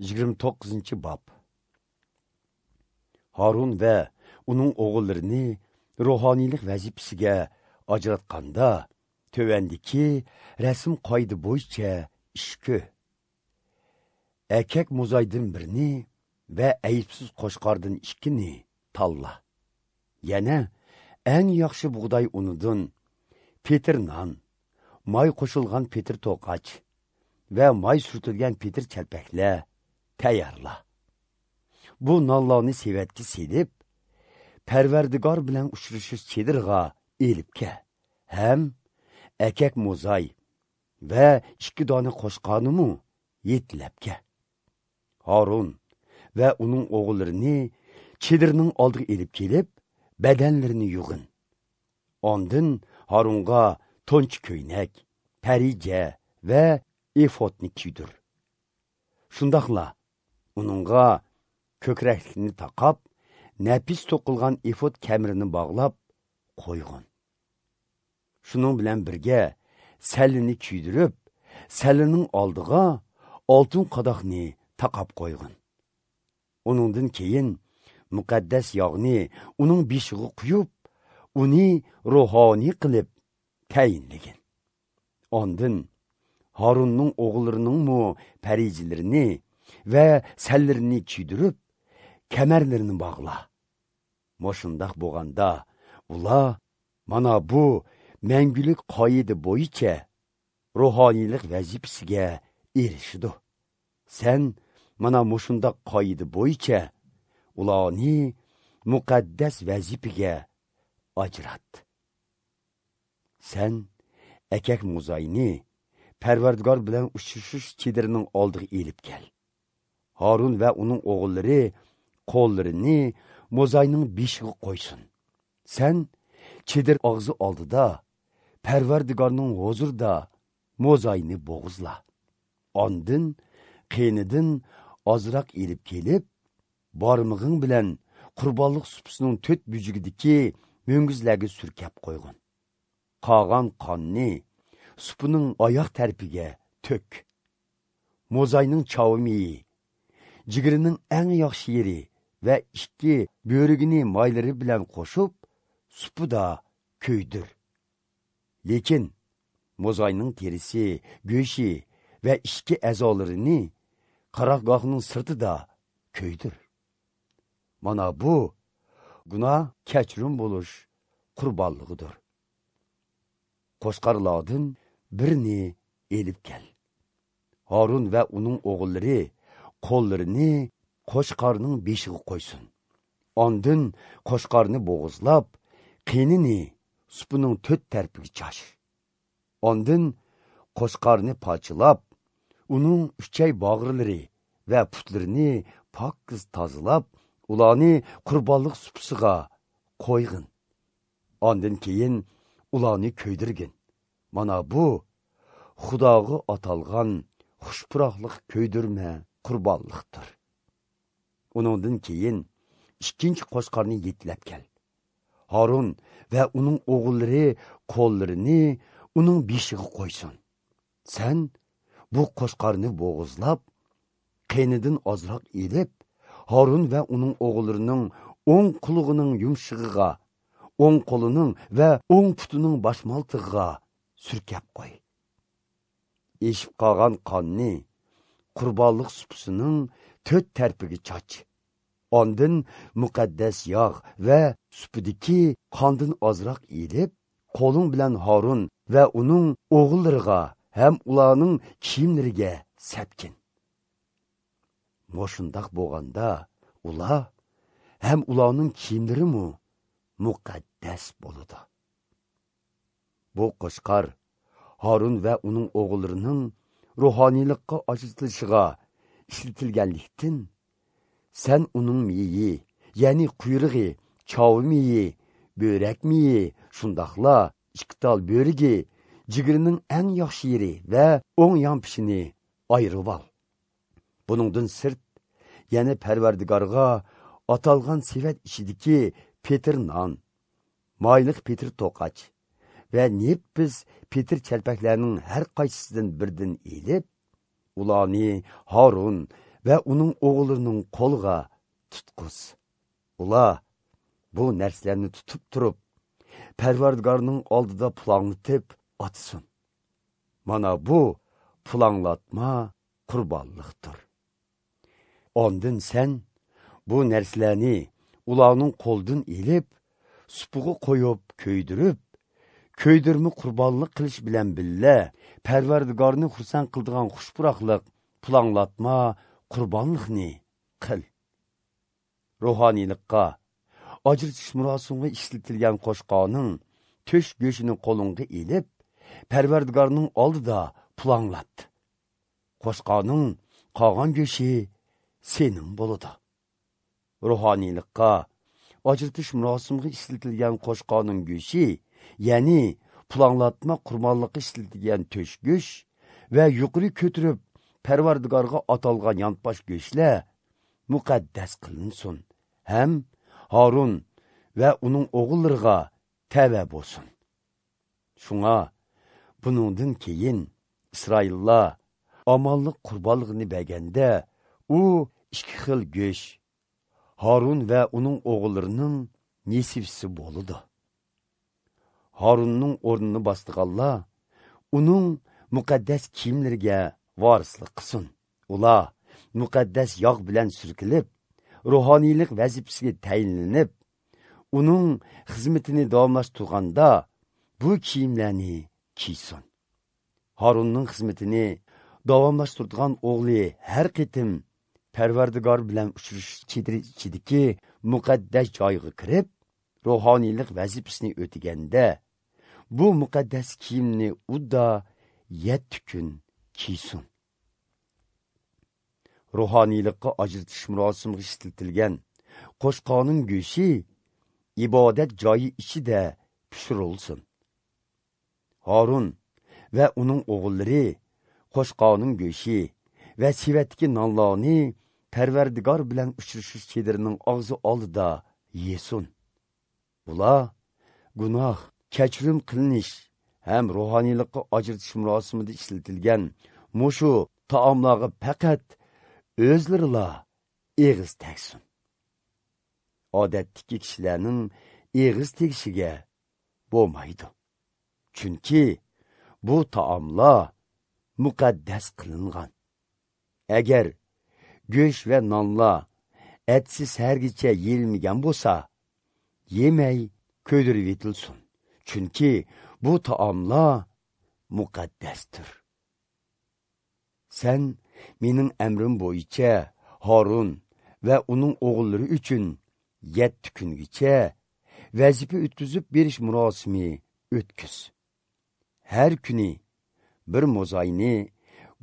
29 bob. Harun va uning o'g'illarini ruhoniylik vazifasiga ajratganda tövandiki rasm qoida bo'yicha ish ko'r. Erkak mo'zaydan birini va aybsiz qo'shqordan ikkini tanla. Yana eng yaxshi bug'doy unidan petir non, may qo'shilgan petir to'qach va may surtilgan petir chalpaklar tayyorla. Bu nonlarni sevatga selib, Parvardigor bilan uchrashish chedirg'a elib kel. Ham erkak mo'zay va 2 dona qo'shqornimi yetlab kel. Harun va uning o'g'illarini chedirning oldiga elib kelib, badanlarini yug'in. Ondin Harunga to'nch ko'ynak, parija va efodni kiydir. Shundoqla uningga ko'kraklikni taqab, nafis to'qilgan efod kamarini bog'lab qo'yg'in. Shuning bilan birga sallini kuydirib, sallining oldiga oltin qadoqni taqab qo'yg'in. Uningdan keyin muqaddas yog'ni uning beshig'i quyib, uni ruhoniy qilib tayinlagin. Ondin Harunning o'g'illarining parijilarini va sallarini kiydirib, kamarlarini bog'la. Moshundaq bo'lganda ular mana bu mangulik qoida bo'yicha ruhoniylik vazifasiga erishidi. Sen mana mushundaq qoida bo'yicha ularni muqaddas vazifaga ajrat. Sen erkak mo'zayni Parvardigor bilan uchrashish chedirining oldiga elib kel. Harun va uning o'g'illari qo'llarini mo'zayning beshiga qo'ysin. Sen chedir og'zi oldida Parvardigorning huzurida mo'zayni bo'g'izla. Ondin qiynidan ozroq elib kelib, barmog'ing bilan qurbonlik supisining to'rt bujugidagi mo'ngizlarga surkab qo'yg'in. Qolgan qonni supining oyoq tarafiga to'k. Mo'zayning chavimiyi, jigirining eng yaxshi yeri va 2 bo'rigini maylari bilan qo'shib, supida ko'ydir. Lekin mo'zayning terisi, go'shi va 2 a'zolarini qarorgohning sirtida ko'ydir. Mana bu gunoh kechirim bo'lish qurbonligidir. Qo'shqorlardan birini elib kel. Harun va uning o'g'illari qo'llarini qo'shqorning beshiga qo'ysin. Ondin qo'shqorni bo'g'izlab, qinini supining to'rt tarafiga chash. Ondin qo'shqorni parchalab, uning uchay bag'irlari va putlarini pokiz tozalab, ularni qurbonlik supisiga qo'yg'in. Ondin keyin ularni ko'ydirgin. Mana bu Xudoga atalgan xushpuroqliq ko'ydirma qurbonliqdir. Uningdan keyin ikkinchi qo'shqorni yetlab kel. Harun va uning o'g'illari qo'llarini uning beshiga qo'ysin. Sen bu qo'shqorni bo'g'izlab, qiynidan ozroq elib, Harun va uning o'g'illarining o'ng qulog'ining yumshig'iga, o'ng qo'lining va o'ng putining boshmaltig'iga surkab qo'y. Eshib qolgan qonni qurbonlik supisining to'rt tarafiga chach. Ondin muqaddas yog' va supidagi qondan ozroq elib, qo'ling bilan Harun va uning o'g'illariga ham ularning kiyimlariga sepkin. Moshundaq bo'lganda ular ham ularning kiyimlarimi muqaddas bo'ladi. Bu qo'shqor Harun va uning o'g'illarining ruhoniylikqa ajratilishiga ishlatilganlikdan sen uning miyi, ya'ni quyrug'i, chovi miyi, bo'rak miyi, shundoqla 2 tal bo'rigi, jigirining eng yaxshi yeri va o'ng yon pishini ayirib ol. Buningdan sirt yana Parvardigorga atalgan sevat ichidagi petir non, mayliq petir to'qach va nefis petir chalpaklarning har qaysisidan birdan elib, ularni Harun va uning o'g'illarining qo'liga tutquz. Ular bu narsalarni tutib turib, Parvardigorning oldida pulanglatib otsin. Mana bu pulanglatma qurbonliqdir. Ondan sen bu narsalarni ularning qo'lidan ilib, supuga qo'yib ko'ydirib, ko'ydirma qurbonlik qilish bilan billa Parvardigorni xursand qiladigan xushpuroqliq pulanglatma qurbonliqni qil. Ruhoniylikqa ajratish murosimiga ishlatilgan qo'shqoning to'sh go'shini qo'lingga ilib, Parvardigorning oldida pulanglat. Qo'shqoning qolgan go'shi sening bo'ladi. Ruhoniylikqa ajratish murosimiga ishlatilgan qo'shqoning go'shi, ya'ni pulanglatma qurbonlikqa ishlatilgan to'sh go'sh va yuqori ko'tirib Parvardigorga atalgan yonbosh go'shlar muqaddas qilinsin ham Harun va uning o'g'illariga tava bo'lsin. Shunga buningdan keyin Isroillar omonlik qurbonligini berganda u ikki xil go'sh Harun va uning o'g'illarining nesibsi bo'ladi. Harunning o'rnini bosdiganlar uning muqaddas kiyimlariga varislik qilsin. Ular muqaddas yog' bilan surkilib, ruhoniylik vazifasiga tayinlanib, uning xizmatini davomlashtirganda bu kiyimlarni kiysin. Harunning xizmatini davomlashtirgan o'g'li har qitim Parvardigor bilan uchrashish chediri ichidagi muqaddas joyga kirib, ruhoniylik vazifasini o'taganda bu muqaddas kiyimni udda 7 kun kiysin. Ruhoniylikqa ajratish murosimiga ishlatilgan qo'shqoning go'shi ibodat joyi ichida pishirilsin. Harun va uning o'g'illari qo'shqoning go'shi va sevatdagi nonlarni Parvardigor bilan uchrashish chedirining og'zi oldida yesin. Ular gunoh kechirim qilinish ham ruhoniylikqa ajratish murosimida ishlatilgan mushu taomlarga faqat o'zlarila eg'iz tegsin. Odatdagi kishilarning eg'iz tegishiga bo'lmaydi. Chunki bu taomlar muqaddas qilingan. Agar go'sht va nonlar etsi sahargacha yeyilmagan bo'lsa, yemay ko'ydirib yetilsin. Chunki bu taomlar muqaddasdir. Sen mening amrim bo'yicha Harun va uning o'g'illari uchun 7 kungacha vazifa o'tkazib berish murosimi o'tkiz. Har kuni bir mo'zayni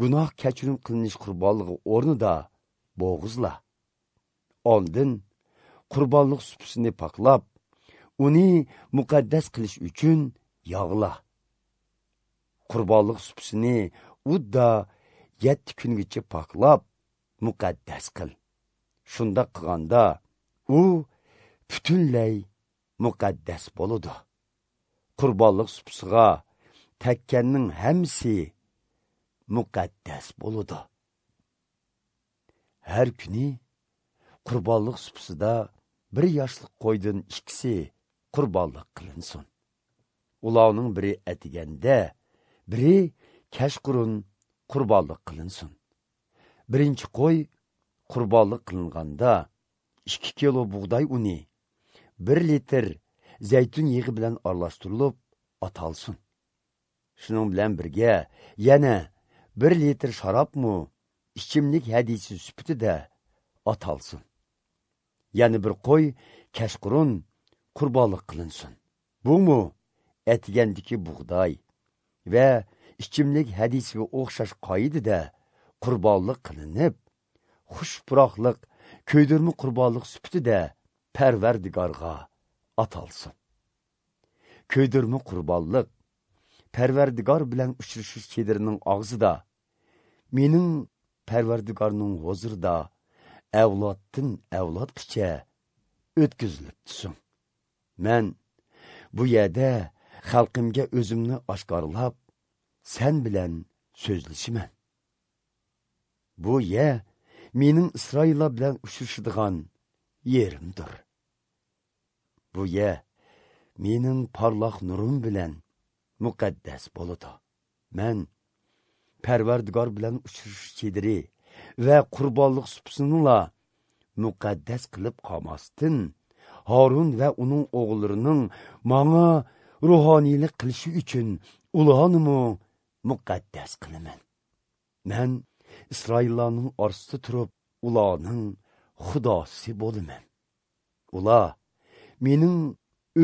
gunoh kechirim qilinish qurbonligi o'rnida bo'g'izla. Oldin qurbonlik supusini poklab, uni muqaddas qilish uchun yog'la. Qurbonlik supusini udda 7 kungacha poklab, muqaddas qil. Shunda qilganda u butunlay muqaddas bo'ladi. Qurbonlik supusiga tekkanning hammasi muqaddas bo'ladi. Har kuni qurbonlik supusida bir yoshlik qo'ydan ikkisi qurbonlik qilinsin. Ularning biri atiganda, biri kechqurun qurbonlik qilinsin. Birinchi qo'y qurbonlik qilinganda 2 kilo bug'doy uni 1 litr zaytun yig'i bilan aralashtirilib atalsin. Shuning bilan birga yana 1 litr sharobmi ichimlik hadisi sifatida atalsin. Yana bir qo'y kechqurun qurbonlik qilinsin. Bumu atigandagi bug'doy va ichimlik hadisiga o'xshash qoidada qurbonlik qilinib, xush puroqliq ko'ydirma qurbonlik sifatida Parvardigorga atalsin. Ko'ydirma qurbonlik Parvardigor bilan uchrashish chedirining og'zida, mening Parvardigorning huzurida avloddan avlodgacha o'tkazilib tursin. Men bu yerda xalqimga o'zimni oshkorlab, sen bilan so'zlashaman. Bu yer mening Isroillar bilan uchrashadigan yerimdir. Bu yer mening porloq nurim bilan muqaddas bo'ladi. Man Parvardigor bilan uchrashish chediri va qurbonlik supsinila muqaddas qilib qolmasdan, Harun va uning o'g'illarining manga ruhoniylik qilishi uchun ularni muqaddas qilaman. Man Isroillarning orasida turib, ularning xudosi bo'laman. Ular mening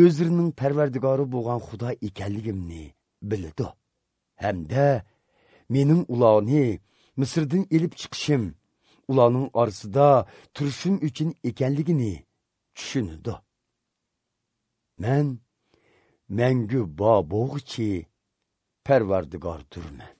o'zlarining Parvardigori bo'lgan Xudo ekanligimni biladi. Hamda mening ularni Misrdan elib chiqishim, ularning orasida turishim uchun ekanligini tushunadi. Man mangu bo bo'g'ichi Parvardigordurman.